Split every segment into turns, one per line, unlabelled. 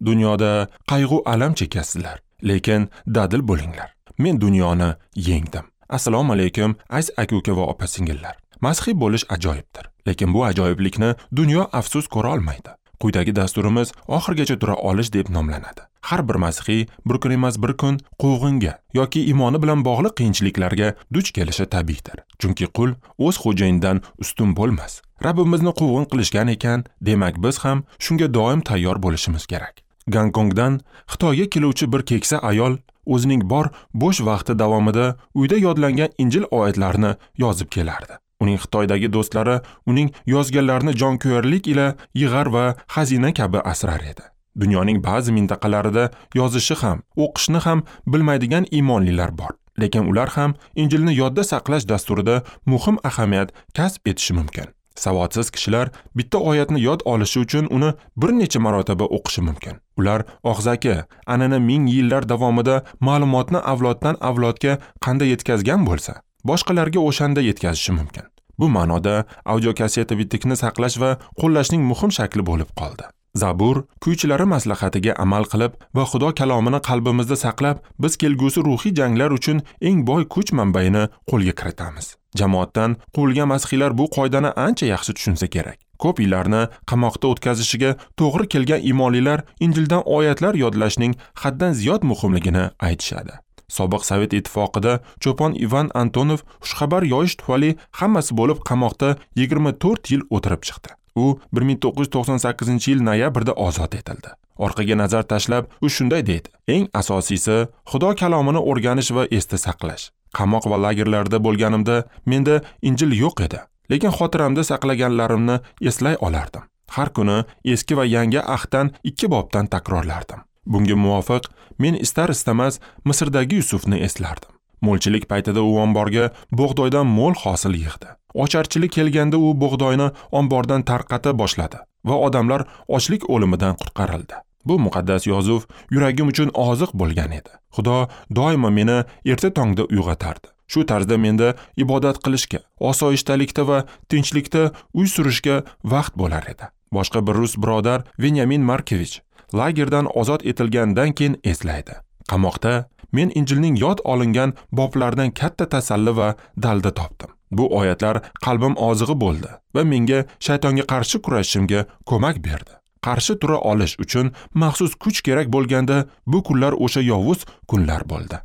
Dunyoda qayg'u alam chekasizlar, lekin dadil bo'linglar. Men dunyoni yengdim. Assalomu alaykum, aziz aka-uka va opa-singillar. Masihiy bo'lish ajoyibdir, lekin bu ajoyiblikni dunyo afsus ko'ra olmaydi. Quyidagi dasturimiz oxirigacha tura olish deb nomlanadi. Har bir masihiy bir kun emas bir kun quvg'inga yoki iymoni bilan bog'liq qiyinchiliklarga duch kelishi tabiiydir. Chunki qul o'z xo'jayinidan ustun bo'lmas. Rabbimizni quvg'in qilishgan ekan, demak biz ham shunga doim tayyor bo'lishimiz kerak. Gonkongdan Xitoyga keluvchi bir keksa ayol o'zining bor bo'sh vaqti davomida uyda yodlangan Injil oyatlarini yozib kelardi. Uning Xitoydagi do'stlari uning yozganlarini jonkuyarlik ila yig'ar va xazina kabi asrar edi. Dunyoning ba'zi mintaqalarida yozishi ham, o'qishni ham bilmaydigan iymonlilar bor. Lekin ular ham Injilni yodda saqlash dasturida muhim ahamiyat kasb etishi mumkin. Savodsiz kishilar bitta oyatni yod olishi uchun uni bir necha marotaba o'qishi mumkin. Ular og'zaki an'ana ming yillar davomida ma'lumotni avloddan avlodga qanday yetkazgan bo'lsa, boshqalarga o'shanda yetkazishi mumkin. Bu ma'noda audiokasseta bitikni saqlash va qo'llashning muhim shakli bo'lib qoldi. Zabur kuychilari maslahatiga amal qilib va Xudo kalomini qalbimizda saqlab, biz kelgusi ruhiy janglar uchun eng boy kuch manbaini qo'lga kiritamiz. Jamoatdan quvilgan masihiylar bu qoidani ancha yaxshi tushunsa kerak. Ko'p yillarni qamoqda o'tkazishiga to'g'ri kelgan iymonlilar Injildan oyatlar yodlashning haddan ziyod muhimligini aytishadi. Sobiq Sovet ittifoqida cho'pon Ivan Antonov xushxabar yoyish tufayli hammasi bo'lib qamoqda 24 yil o'tirib chiqdi. U 1998-yil noyabrda ozod etildi. Orqaga nazar tashlab, u shunday deydi: "Eng asosiysi Xudo kalomini o'rganish va esda saqlash. Qamoq va lagerlarda bo'lganimda menda Injil yo'q edi, lekin xotiramda saqlaganlarimni eslay olardim. Har kuni eski va yangi ahddan 2 bobdan takrorlardim. Bunga muvofiq men istar-istamas Misrdagi Yusufni eslardim. Mo'lchilik paytida u omborga bug'doydan mo'l hosil yig'di. Ocharchilik kelganda u bug'doyni ombordan tarqata boshladi va odamlar ochlik o'limidan qutqarildi. Bu muqaddas yozuv yuragim uchun oziq bo'lgan edi. Xudo doimo meni erta tongda uyg'otardi. Shu tarzda menda ibodat qilishga, osoyishtalikda va tinchlikda uy surishga vaqt bo'lar edi." Boshqa bir rus birodar Venyamin Markevich lagerdan ozod etilgandan keyin eslaydi: "Qamoqda men Injilning yod olingan boblaridan katta tasalli va dalda topdim. Bu oyatlar qalbim ozig'i bo'ldi va menga shaytonga qarshi kurashishimga ko'mak berdi. Qarshi tura olish uchun maxsus kuch kerak bo'lganda bu kunlar o'sha yovuz kunlar bo'ldi."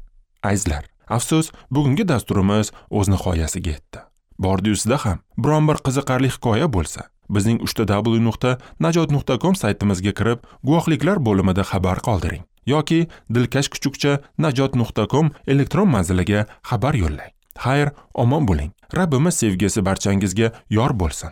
Azizlar, afsus, bugungi dasturimiz o'z nihoyasiga yetdi. Bordi-yusida ham biron bir qiziqarli hikoya bo'lsa, bizning www.najot.com saytimizga kirib, guvohliklar bo'limida xabar qoldiring yoki dilkash@najot.com elektron manziliga xabar yo'llang. Xayr, omon bo'ling. Rabbimiz sevgisi barchangizga yor bo'lsin.